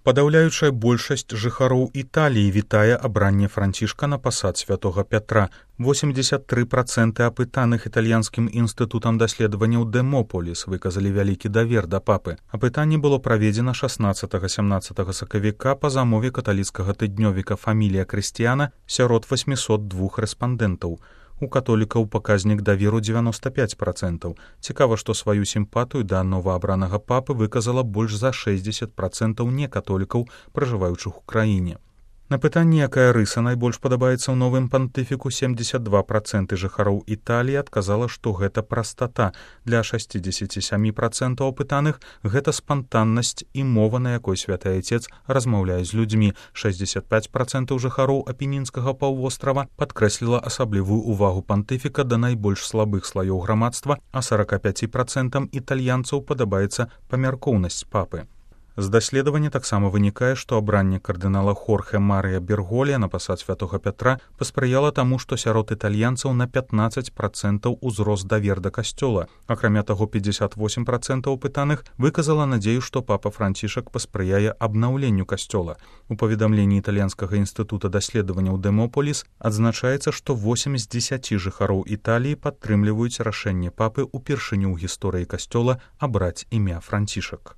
Падаўляючая большасць жыхароў Італіі вітае абранне Францішка на пасад святога Пятра. 83% апытаных італьянскім інстытутам даследаванняў Дэмополіс выказалі вялікі давер да папы. Апытанне было праведзена 16-17 сакавіка па замове каталіцкага тыднёвіка «Фамілія Крыстіяна» сярод 802 рэспандэнтаў. У католікаў паказнік даверу 95%. Цікава, што сваю сімпатыю да новаабранага папы выказала больш за 60% некатолікаў, пражываючых у краіне. На пытанне, якая рыса найбольш падабаецца ў новым пантыфіку, 72% жыхароў Італіі адказала, што гэта прастата. Для 67% апытаных гэта спантаннасць і мова, на якой святы Айцец размаўляе з людзьмі. 65% жыхароў апенінскага паўвострава падкрэсліла асаблівую увагу пантыфіка да найбольш слабых слаёў грамадства, а 45% італьянцаў падабаецца памяркоўнасць папы. З даследавання таксама вынікае, што абранне кардынала Хорхе Марыя Берголія на пасад святога Пятра паспрыяла таму, што сярод італьянцаў на 15% узрос давер да касцёла. Акрамя таго, 58% апытаных выказала надзею, што папа Францішак паспрыяе абнаўленню касцёла. У паведамленні італьянскага інстытута даследаванняў Дэмополіс адзначаецца, што 8 з 10 жыхароў Італіі падтрымліваюць рашэнне папы ўпершыню ў гісторыі касцёла абраць імя Францішак.